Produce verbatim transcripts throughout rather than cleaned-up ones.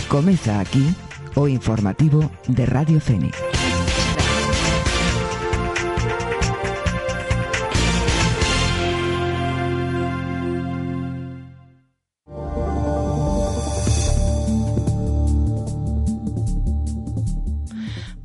Comeza aquí o informativo de Radio Fénix.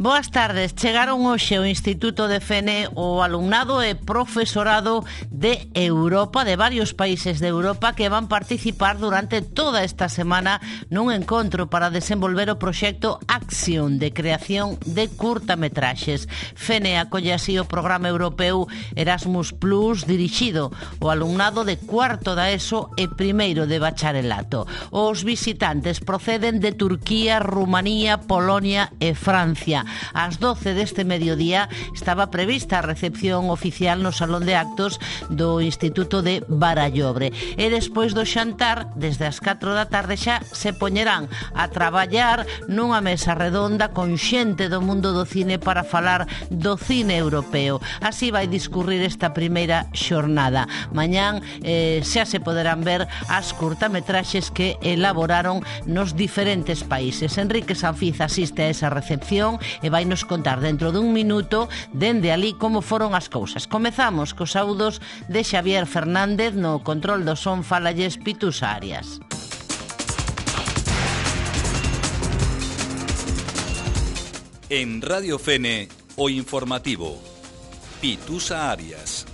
Boas tardes. Chegaron hoxe ao Instituto de Fene o alumnado e profesorado de Europa, de varios países de Europa, que van participar durante toda esta semana nun encontro para desenvolver o proxecto Action de creación de curtametraxes. Fene acolle así o programa europeo Erasmus Plus dirixido ao alumnado de cuarto da ESO e primeiro de bacharelato. Os visitantes proceden de Turquía, Rumanía, Polonia e Francia. Ás doce deste mediodía estaba prevista a recepción oficial no Salón de Actos do Instituto de Barallobre. E despois do xantar, desde as catro da tarde xa se poñerán a traballar nunha mesa redonda con xente do mundo do cine para falar do cine europeo. Así vai discurrir esta primeira xornada. Mañán eh, xa se poderán ver as curtametraxes que elaboraron nos diferentes países. Enrique Sanfiz asiste a esa recepción e vai nos contar dentro dun minuto dende ali como foron as cousas. Comezamos cos saudos de Xavier Fernández, no control do son falalles Pitusa Arias. En Radio Fene, o informativo Pitusa Arias.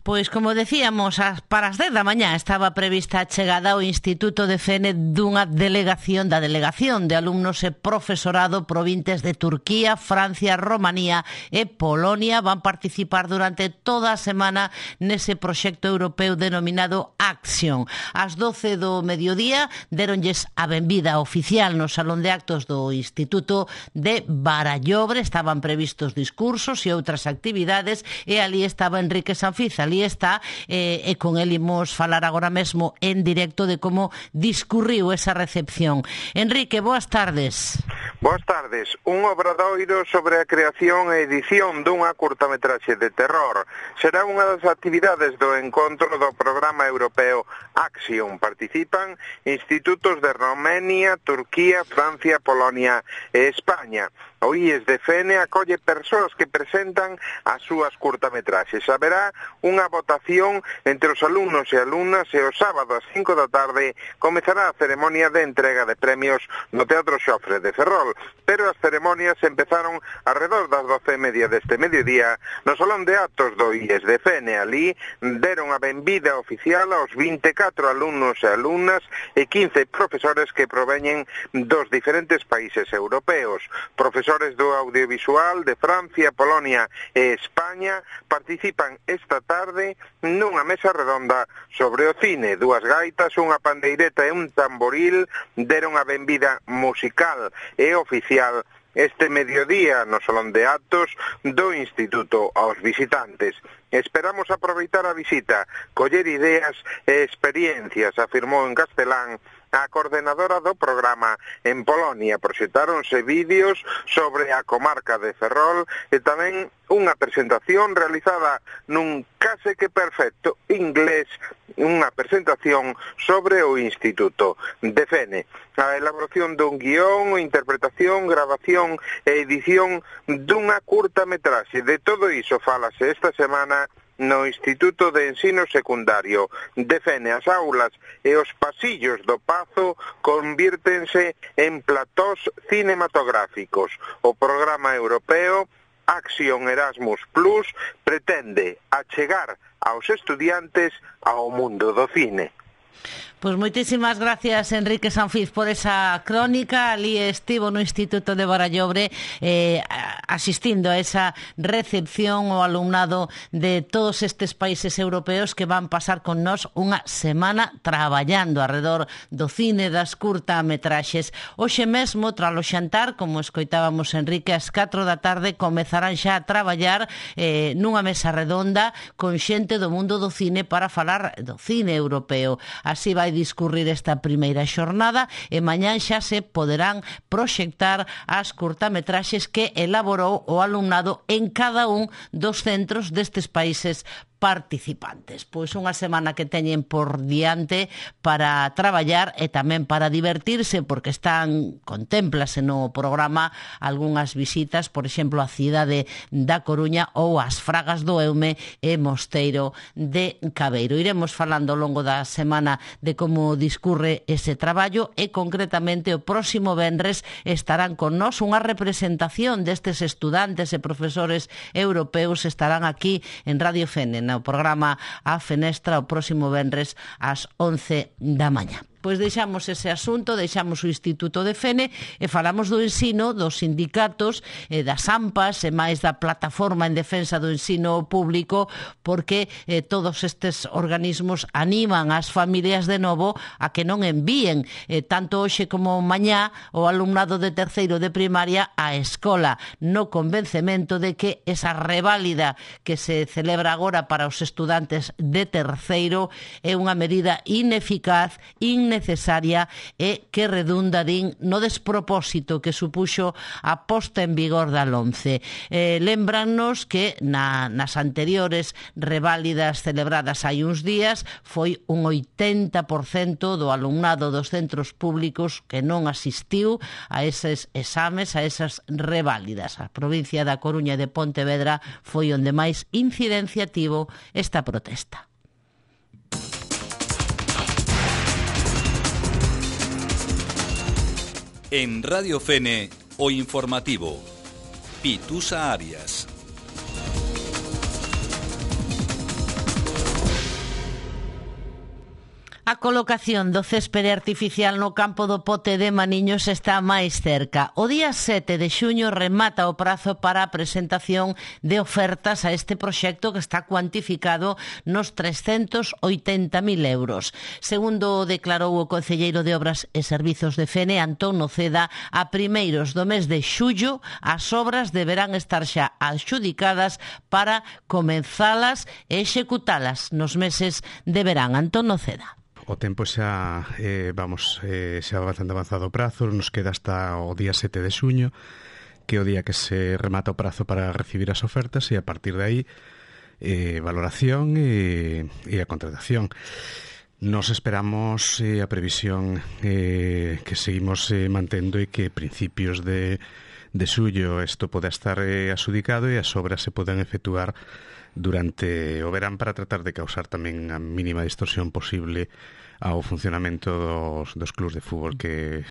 Pois, como decíamos, para as dez da mañá estaba prevista a chegada ao Instituto de Fene dunha delegación da delegación de alumnos e profesorado provintes de Turquía, Francia, Romanía e Polonia. Van participar durante toda a semana nese proxecto europeo denominado Action. Ás doce do mediodía deronlles a benvida oficial no Salón de Actos do Instituto de Barallobre. Estaban previstos discursos e outras actividades e ali estaba Enrique Sanfiz. Ali está, eh, e con el imos falar agora mesmo en directo de como discurriu esa recepción. Enrique, boas tardes. Boas tardes. Un obradoiro sobre a creación e edición dunha curtametraxe de terror. Será unha das actividades do encontro do programa europeo Action. Participan institutos de Romania, Turquía, Francia, Polonia e España. O I E S de Fene acolle persoas que presentan as súas curtametraxes. Haberá unha votación entre os alumnos e alumnas e o sábado ás cinco da tarde comezará a ceremonia de entrega de premios no Teatro Xofre de Ferrol. Pero as ceremonias empezaron alrededor das doce e media deste mediodía no Salón de Actos do I E S de Fene. Ali deron a benvida oficial aos vinte e catro alumnos e alumnas e quince profesores que proveñen dos diferentes países europeos. Profesores do audiovisual de Francia, Polonia e España participan esta tarde nunha mesa redonda sobre o cine. Dúas gaitas, unha pandeireta e un tamboril deron a benvida musical e oficial este mediodía no Salón de Actos do Instituto aos visitantes. Esperamos aproveitar a visita, coller ideas e experiencias, afirmou en castelán a coordenadora do programa en Polonia. Proxectáronse vídeos sobre a comarca de Ferrol e tamén unha presentación realizada nun case que perfecto inglés, unha presentación sobre o Instituto de Fene. A elaboración dun guión, interpretación, grabación e edición dunha curtametraxe. De todo iso falase esta semana no Instituto de Ensino Secundario de Fene. As aulas e os pasillos do Pazo convírtense en platós cinematográficos. O programa europeo Action Erasmus Plus pretende achegar aos estudiantes ao mundo do cine. Pois moitísimas gracias, Enrique Sanfiz, por esa crónica. Ali estivo no Instituto de Barallobre eh, asistindo a esa recepción ao alumnado de todos estes países europeos que van pasar con nós unha semana traballando alrededor do cine, das curtametraxes. Hoxe mesmo, tras o xantar, como escoitábamos Enrique, ás catro da tarde comezarán xa a traballar eh, nunha mesa redonda con xente do mundo do cine para falar do cine europeo. Así vai discurrir esta primeira xornada e mañán xa se poderán proxectar as curtametraxes que elaborou o alumnado en cada un dos centros destes países participantes. Pois unha semana que teñen por diante para traballar e tamén para divertirse, porque están, contémplase no programa algunhas visitas, por exemplo, a cidade da Coruña ou as Fragas do Eume e Mosteiro de Cabeiro. Iremos falando ao longo da semana de como discurre ese traballo e concretamente o próximo venres estarán con nós unha representación destes estudantes e profesores europeos, estarán aquí en Radio Fene, no programa A Fenestra o próximo venres ás once da mañá. Pois deixamos ese asunto, deixamos o Instituto de Fene e falamos do ensino, dos sindicatos, e das AMPAs e máis da plataforma en defensa do ensino público, porque eh, todos estes organismos animan as familias de novo a que non envíen eh, tanto hoxe como mañá o alumnado de terceiro de primaria á escola, no convencemento de que esa reválida que se celebra agora para os estudantes de terceiro é unha medida ineficaz, innecesaria necesaria e que redunda, din, no despropósito que supuxo a posta en vigor da LOMCE. Eh, lembranos que na, nas anteriores reválidas celebradas hai uns días foi un oitenta por cento do alumnado dos centros públicos que non asistiu a eses exames, a esas reválidas. A provincia da Coruña e de Pontevedra foi onde máis incidencia tivo esta protesta. En Radio Fene, o informativo. Pitusa Arias. A colocación do céspede artificial no campo do Pote de Maniños está máis cerca. O día sete de xuño remata o prazo para a presentación de ofertas a este proxecto que está cuantificado nos trescentos oitenta mil euros. Segundo declarou o concelleiro de Obras e Servizos de Fene, Antón Noceda, a primeiros do mes de xullo as obras deberán estar xa adxudicadas para comenzalas e executalas nos meses de verán. Antón Noceda. O tempo xa, eh, vamos, eh, xa bastante avanzado o prazo, nos queda hasta o día sete de xuño, que é o día que se remata o prazo para recibir as ofertas e a partir de aí eh, valoración e, e a contratación. Nos esperamos eh, a previsión eh, que seguimos eh, mantendo e que principios de, de xullo isto poda estar eh, adxudicado e as obras se podan efectuar durante o verán para tratar de causar tamén a mínima distorsión posible ao funcionamento dos, dos clubs de fútbol que...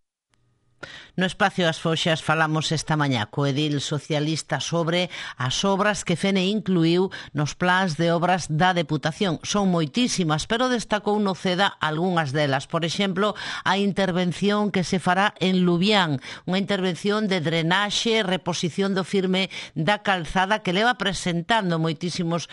No Espacio As Foxas falamos esta mañá co edil socialista sobre as obras que Fene incluiu nos plans de obras da Deputación. Son moitísimas, pero destacou Noceda algunhas delas. Por exemplo, a intervención que se fará en Lubián, unha intervención de drenaxe, reposición do firme da calzada que leva presentando moitísimos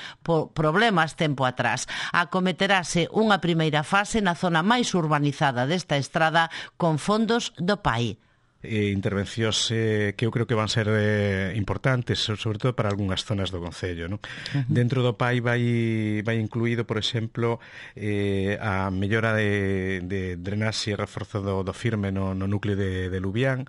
problemas tempo atrás. Acometerase unha primeira fase na zona máis urbanizada desta estrada con fondos do P A I. Eh, intervencións eh, que eu creo que van ser eh, importantes, sobre todo para algunhas zonas do concello, ¿no? Uh-huh. Dentro do P A I vai, vai incluído, por exemplo, eh, a mellora de, de drenaxe e reforzo do, do firme no, no núcleo de, de Lubián.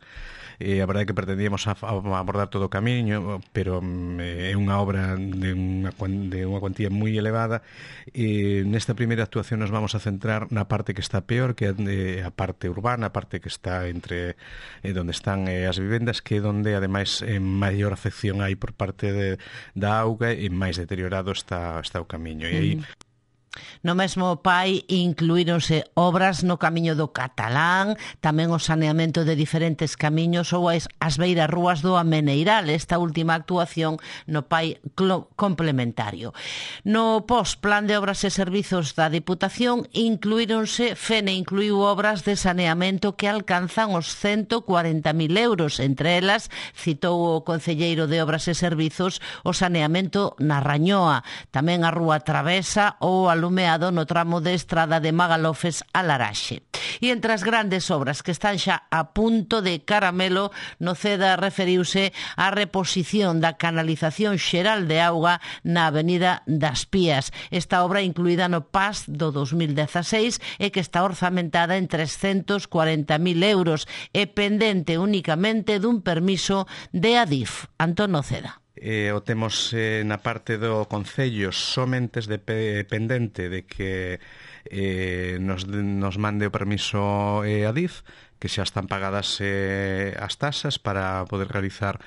Eh, a verdade é que pretendíamos a, a abordar todo o camiño, pero eh, é unha obra de unha, de unha cuantía moi elevada. E nesta primeira actuación nos vamos a centrar na parte que está peor, que é a parte urbana, a parte que está entre eh, onde están eh, as vivendas, que é onde ademais eh, maior afección hai por parte de, da auga e máis deteriorado está, está o camiño. E aí... No mesmo P A I incluíronse obras no camiño do Catalán, tamén o saneamento de diferentes camiños ou as, as beiras rúas do Ameneiral, esta última actuación no P A I complementario. No pos-plan de obras e servizos da Deputación incluíronse, Fene incluiu obras de saneamento que alcanzan os ciento cuarenta mil euros, entre elas citou o concelleiro de Obras e Servizos o saneamento na Rañoa, tamén a Rúa Travesa ou a alumeado no tramo de estrada de Magalofes a Laraxe. E entre as grandes obras que están xa a punto de caramelo, Noceda referiuse á reposición da canalización xeral de auga na Avenida das Pías. Esta obra incluída no P A S do dos mil dezaseis e que está orzamentada en trescentos cuarenta mil euros e pendente únicamente dun permiso de Adif. Antón Noceda. eh, o temos eh, na parte do Concello somente dependente de que eh, nos, nos mande o permiso eh, Adif, que xa están pagadas eh, as tasas para poder realizar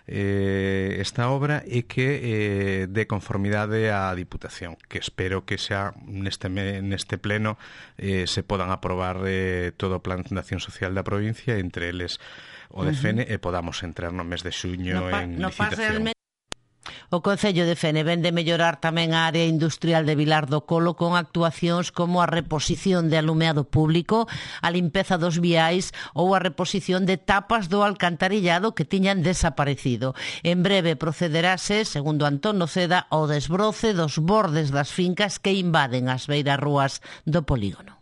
eh, esta obra e que eh, de conformidade á Diputación, que espero que xa neste, neste pleno eh, se podan aprobar eh, todo o Plan de Acción Social da provincia, entre eles o de Fene, uh-huh. e podamos entrar no mes de xuño no pa, en no licitación. O Concello de Fene ven de mellorar tamén a área industrial de Vilar do Colo con actuacións como a reposición de alumeado público, a limpeza dos viais ou a reposición de tapas do alcantarillado que tiñan desaparecido. En breve procederase, segundo Antón Noceda, ao desbroce dos bordes das fincas que invaden as beirarrúas do polígono.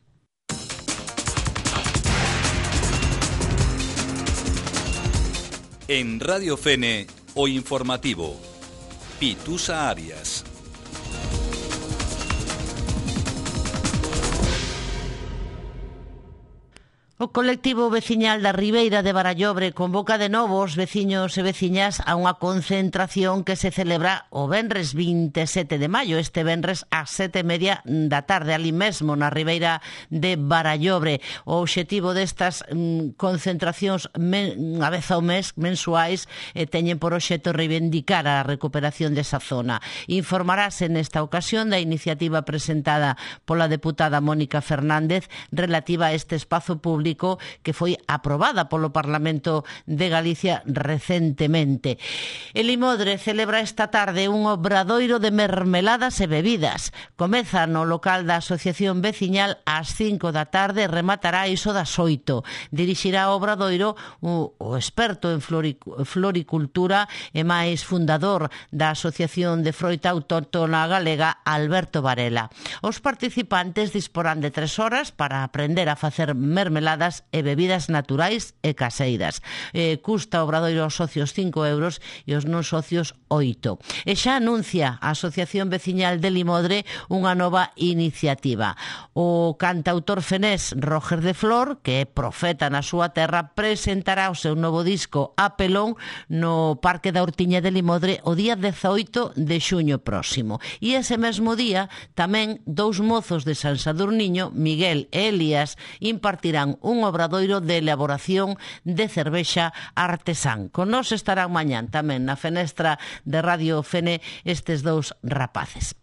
En Radio Fene, o informativo. Pitusa Arias. O colectivo veciñal da Ribeira de Barallobre convoca de novo os veciños e veciñas a unha concentración que se celebra o venres vinte e sete de maio, este venres ás sete e media da tarde, ali mesmo na Ribeira de Barallobre. O obxectivo destas mm, concentracións men, a vez ao mes, mensuais, eh, teñen por obxecto reivindicar a recuperación desa zona. Informarase nesta ocasión da iniciativa presentada pola deputada Mónica Fernández relativa a este espazo público que foi aprobada polo Parlamento de Galicia recentemente. El Limodre celebra esta tarde un obradoiro de mermeladas e bebidas. Comeza no local da Asociación Veciñal ás cinco da tarde e rematará iso das oito. Dirixirá o obradoiro o, o experto en floricultura e máis fundador da Asociación de Froita Autóctona Galega, Alberto Varela. Os participantes disporán de tres horas para aprender a facer mermeladas e bebidas naturais e caseiras. Eh, custa o obradoiro aos socios cinco euros e os non socios oito. E xa anuncia a Asociación Veciñal de Limodre unha nova iniciativa. O cantautor fenés Roger de Flor, que é profeta na súa terra, presentará o seu novo disco A Pelón no Parque da Hortiña de Limodre o día dezaoito de xuño próximo. E ese mesmo día tamén dous mozos de San Sadurniño, Miguel e Elías, impartirán un obradoiro de elaboración de cervexa artesán. Con nos estarán mañán tamén na fenestra de Radio Fene estes dous rapaces.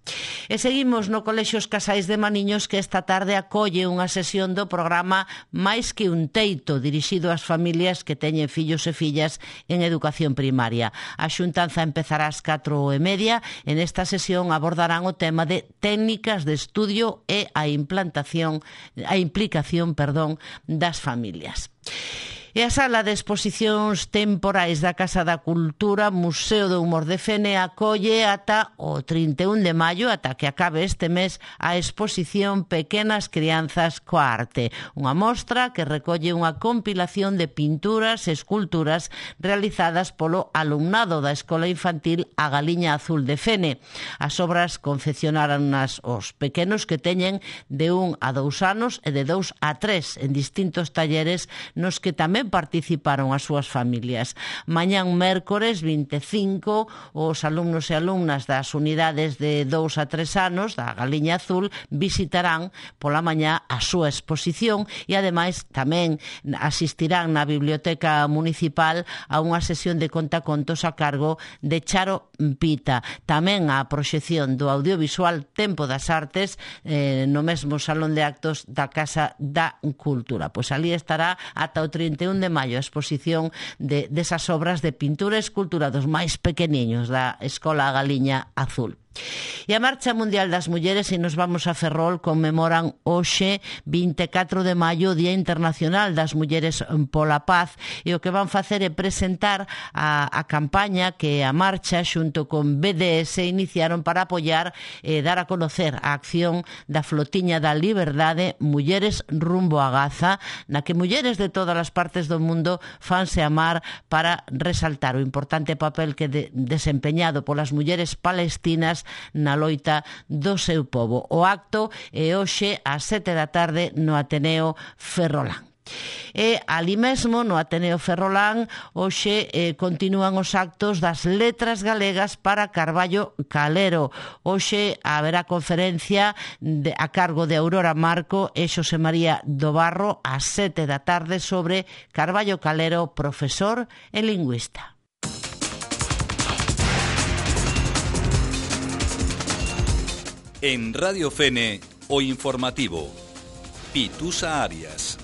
E seguimos no Colexio Os Casais de Maniños, que esta tarde acolle unha sesión do programa Máis que un teito, dirixido ás familias que teñen fillos e fillas en educación primaria. A xuntanza empezará ás catro e media. En esta sesión abordarán o tema de técnicas de estudio e a implantación, a implicación, perdón, das familias. E a sala de exposicións temporais da Casa da Cultura Museo do Humor de Fene acolle ata o trinta e un de maio, ata que acabe este mes, a exposición Pequenas Crianzas coa Arte, unha mostra que recolle unha compilación de pinturas e esculturas realizadas polo alumnado da Escola Infantil A Galiña Azul de Fene. As obras confeccionaronas os pequenos que teñen de un a dous anos e de dous a tres en distintos talleres nos que tamén participaron as súas familias. Mañán mércores vinte e cinco, os alumnos e alumnas das unidades de dous a tres anos da Galiña Azul visitarán pola mañá a súa exposición e ademais tamén asistirán na Biblioteca Municipal a unha sesión de contacontos a cargo de Charo Pita. Tamén a proxección do audiovisual Tempo das Artes eh, no mesmo Salón de Actos da Casa da Cultura. Pois ali estará ata o trinta e un de maio a exposición de desas obras de pintura e escultura dos máis pequeniños da Escola Galiña Azul. E a Marcha Mundial das Mulleres, e nos vamos a Ferrol, conmemoran hoxe vinte e catro de maio o Día Internacional das Mulleres pola Paz, e o que van facer é presentar a, a campaña que a marcha xunto con B D S iniciaron para apoiar e dar a conocer a acción da Flotiña da Liberdade Mulleres rumbo a Gaza, na que mulleres de todas as partes do mundo fanse amar para resaltar o importante papel que de, desempeñado polas mulleres palestinas na loita do seu pobo. O acto é hoxe ás sete da tarde no Ateneo Ferrolán. E ali mesmo no Ateneo Ferrolán hoxe eh, continúan os actos das letras galegas para Carballo Calero. Hoxe haberá conferencia de, a cargo de Aurora Marco e Xosé María do Barro ás sete da tarde sobre Carballo Calero, profesor e lingüista. En Radio Fene, o informativo Pitusa Arias.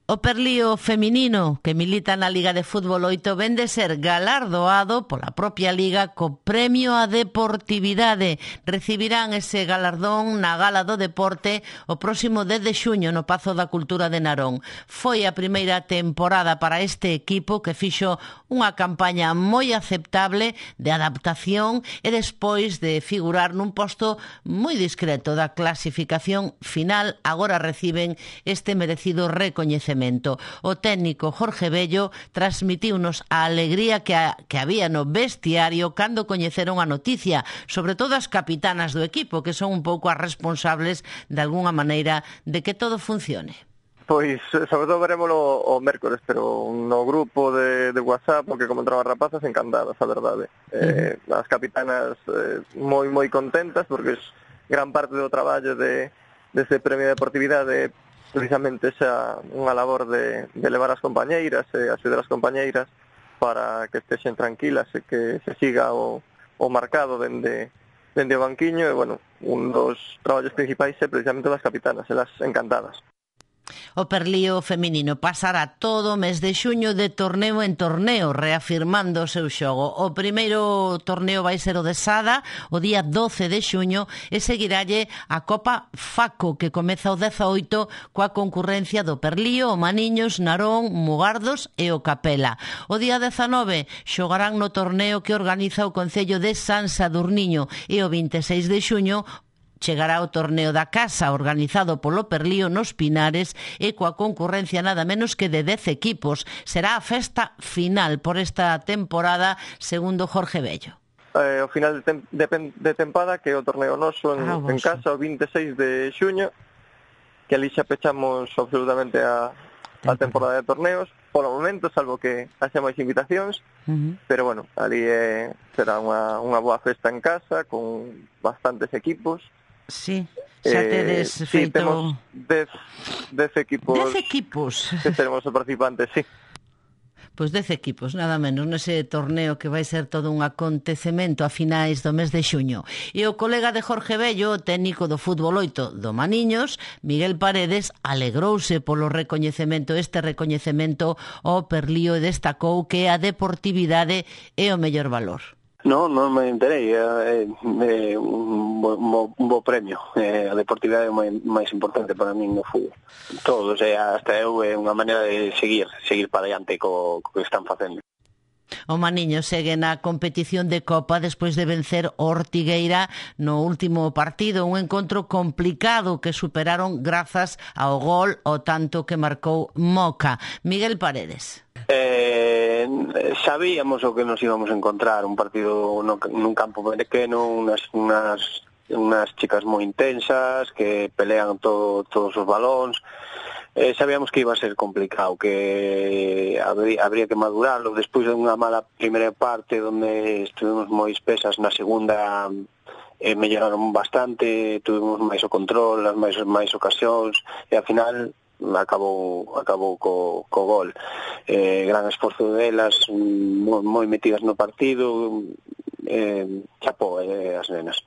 O Perlío feminino, que milita na Liga de Fútbol oito, ven de ser galardoado pola propia Liga co Premio á Deportividade. Recibirán ese galardón na Gala do Deporte o próximo dez de xuño no Pazo da Cultura de Narón. Foi a primeira temporada para este equipo que fixo unha campaña moi aceptable de adaptación e despois de figurar nun posto moi discreto da clasificación final, agora reciben este merecido recoñecemento. O técnico Jorge Bello transmitiunos a alegría que, a, que había no vestiario cando coñeceron a noticia, sobre todo as capitanas do equipo, que son un pouco as responsables de alguna maneira de que todo funcione. Pois, sobre todo verémolo o mércores, pero no grupo de, de WhatsApp, porque comentaron as rapazas encantadas, a verdade. Uh-huh. Eh, as capitanas eh, moi, moi contentas, porque es gran parte do traballo de, dese premio de deportividade precisamente xa unha labor de, de levar as compañeiras e axudar as compañeiras para que estexen tranquilas e que se siga o, o marcado dende, dende o banquiño e, bueno, un dos traballos principais é precisamente das capitanas, elas encantadas. O Perlío feminino pasará todo o mes de xuño de torneo en torneo, reafirmando o seu xogo. O primeiro torneo vai ser o de Sada, o día doce de xuño, e seguiralle a Copa Faco, que comeza o dezaoito coa concurrencia do Perlío, o Maniños, Narón, Mugardos e o Capela. O día dezanove xogarán no torneo que organiza o Concello de San Sadurniño e o vinte e seis de xuño chegará o torneo da casa organizado polo Perlío nos Pinares e coa concurrencia nada menos que de dez equipos. Será a festa final por esta temporada, segundo Jorge Bello. Eh, o final de, tem- de, de tempada, que é o torneo noso en, ah, en casa o vinte e seis de xuño, que ali xa pechamos absolutamente a, a temporada de torneos, polo momento, salvo que haxa máis invitacións, uh-huh. Pero bueno, ali eh, será unha, unha boa festa en casa, con bastantes equipos. Sí, xa tedes eh, feito... Sí, temos dez, dez equipos... Dez equipos? Que seremos os participantes, sí. Pois dez equipos, nada menos, nese torneo que vai ser todo un acontecemento a finais do mes de xuño. E o colega de Jorge Bello, o técnico do fútbol oito do Maniños, Miguel Paredes, alegrouse polo recoñecemento, este recoñecemento ao Perlío, e destacou que a deportividade é o mellor valor. No, non me enterei, é, é un, bo, un bo premio, é, a deportividade é o máis importante para min no fútbol. Todos, é, hasta eu, é unha maneira de seguir, seguir para diante co, co que están facendo. O Maniño segue na competición de Copa despois de vencer o Ortigueira no último partido, un encontro complicado que superaron grazas ao gol o tanto que marcou Moca. Miguel Paredes. Eh, sabíamos o que nos íbamos a encontrar, un partido no, nun campo pequeno, unas, unas, unas chicas moi intensas que pelean todo, todos os balóns. Eh, sabíamos que iba a ser complicado, que habría, habría que madurarlo. Despois de unha mala primeira parte onde estuvimos moi espesas, na segunda eh, melloraron bastante, tuvimos máis o control, as máis, máis ocasións, e ao final acabou acabou co, co gol. Eh, gran esforzo delas, moi, moi metidas no partido, eh, chapó eh, as nenas.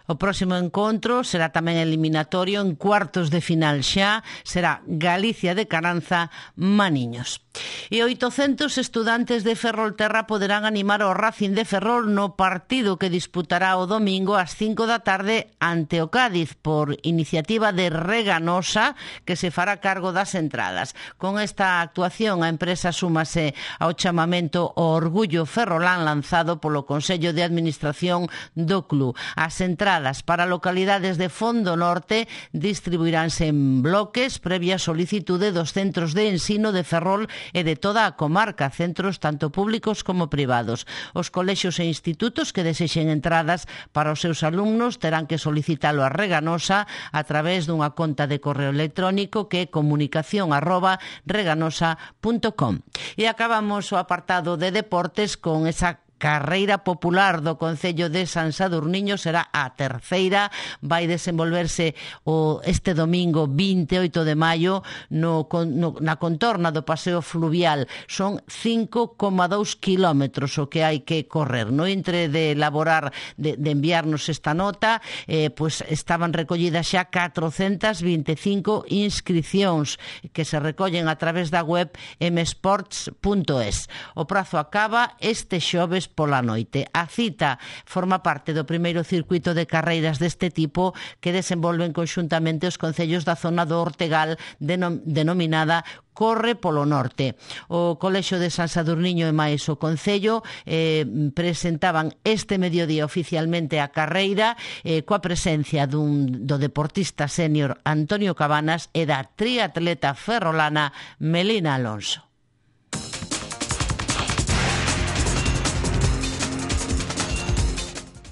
O próximo encontro será tamén eliminatorio en cuartos de final xa, será Galicia de Caranza, Maniños. E oitocentos estudantes de Ferrolterra poderán animar o Racing de Ferrol no partido que disputará o domingo ás cinco da tarde ante o Cádiz por iniciativa de Reganosa, que se fará cargo das entradas. Con esta actuación a empresa súmase ao chamamento ao Orgullo Ferrolán lanzado polo Consello de Administración do club. As entradas entradas para localidades de Fondo Norte distribuiránse en bloques previa solicitude dos centros de ensino de Ferrol e de toda a comarca, centros tanto públicos como privados. Os colexios e institutos que desexen entradas para os seus alumnos terán que solicitalo a Reganosa a través dunha conta de correo electrónico que é comunicación arroba reganosa punto com. E acabamos o apartado de deportes con esa carreira popular do Concello de San Sadurniño. Será a terceira, vai desenvolverse o este domingo vinte e oito de maio no, no, na contorna do Paseo Fluvial. Son cinco coma dous kilómetros o que hai que correr. No entre de elaborar, de, de enviarnos esta nota, eh, pues estaban recollidas xa catrocentas vinte e cinco inscricións que se recollen a través da web m sports punto es. O prazo acaba este xoves pola noite. A cita forma parte do primeiro circuito de carreiras deste tipo que desenvolven conxuntamente os concellos da zona do Ortegal, denom- denominada Corre polo Norte. O Colexio de San Sadurniño e máis o Concello eh, presentaban este mediodía oficialmente a carreira eh, coa presencia dun, do deportista sénior Antonio Cabanas e da triatleta ferrolana Melina Alonso.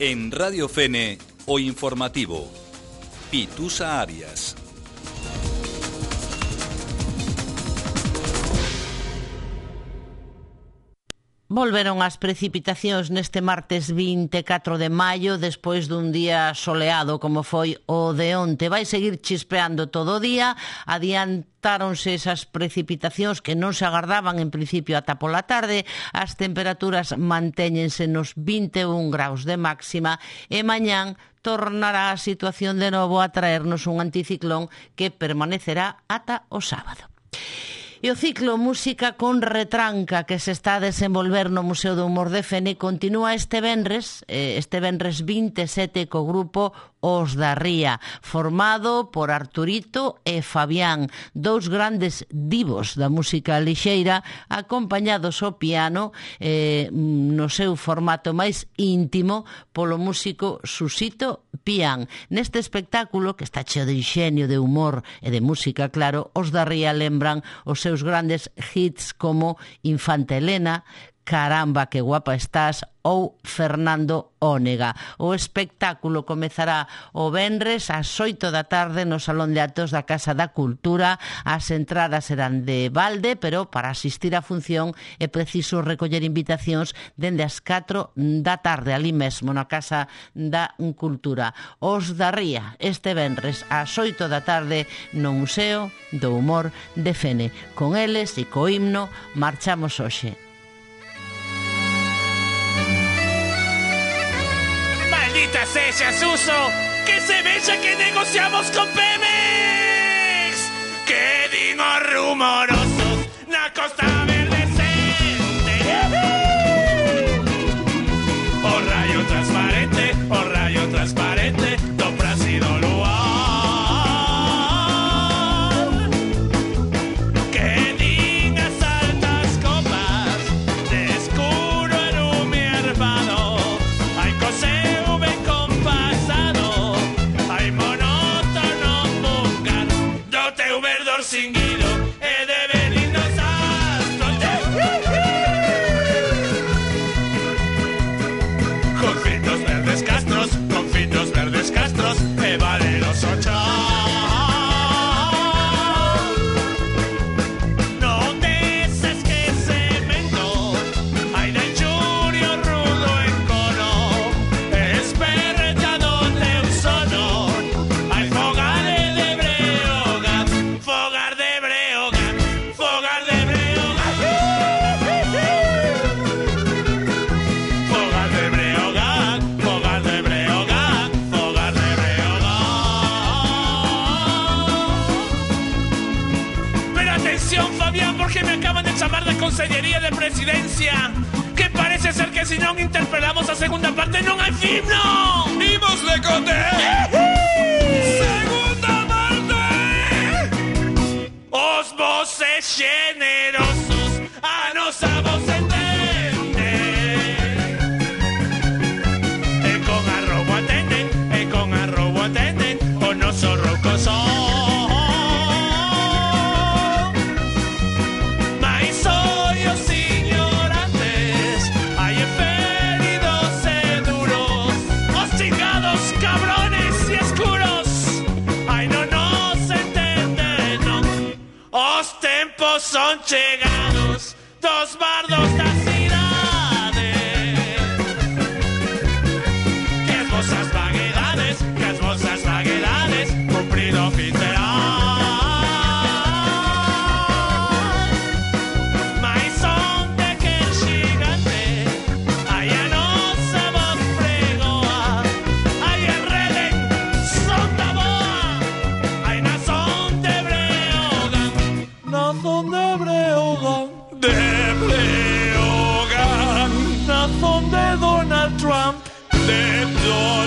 En Radio Fene, o informativo. Pitusa Arias. Volveron as precipitacións neste martes vinte e catro de maio despois dun día soleado como foi o de onte. Vai seguir chispeando todo o día, adiantáronse esas precipitacións que non se agardaban en principio ata pola tarde. As temperaturas mantéñense nos vinte e un graus de máxima e mañán tornará a situación de novo a traernos un anticiclón que permanecerá ata o sábado. E o ciclo Música con Retranca que se está a desenvolver no Museo do Humor de Fene continúa este venres, este venres vinte e sete co grupo Os da Ría, formado por Arturito e Fabián, dous grandes divos da música lixeira, acompañados ao piano eh, no seu formato máis íntimo polo músico Susito Pián. Neste espectáculo, que está cheo de inxenio, de humor e de música, claro, Os da Ría lembran os seus grandes hits como Infanta Elena, Caramba, que guapa estás ou Fernando Ónega. O espectáculo comezará o venres ás oito da tarde no Salón de Actos da Casa da Cultura. As entradas serán de balde, pero para asistir á función é preciso recoller invitacións dende as catro da tarde, ali mesmo na Casa da Cultura. Os da Ría, este venres ás oito da tarde no Museo do Humor de Fene. Con eles e co himno marchamos hoxe. Maldita sea, Suso, que se vexa que negociamos con Pemex. Que digo rumorosos na Costa Verde Cente. O rayo transparente, o rayo transparente do Brasil luar. Que din as altas copas de escuro en un hervado. Hay cosas singuido e de benignos astros. Confitos verdes castros, confitos verdes castros e valeroso chao. Non deses que cemento hai de churio rudo en cono, esperrechado teu sono. Hai fogade de Breogán, fogar de Breogán, fogar de Breogán. Fogar de Breogán, fogar de Breogán, fogar de Breogán. Pero atención, Fabián, porque me acaban de chamar da Consellería de Presidencia, que parece ser que si non interpelamos a segunda parte non hai himno. Imos de cote. Segunda parte. Os voces generosos a nosa voz entenden. E con arrobo atenden, e con todos da cidade. Que as vosas vaguedades, que as vosas vaguedades cumprido fin terán. Mais onde que el xigante hai a nosa voz pregoa, hai a rede son da boa, hai na son de Breogán, na son de Breogán, de Breogán, na son de Donald Trump, de Donald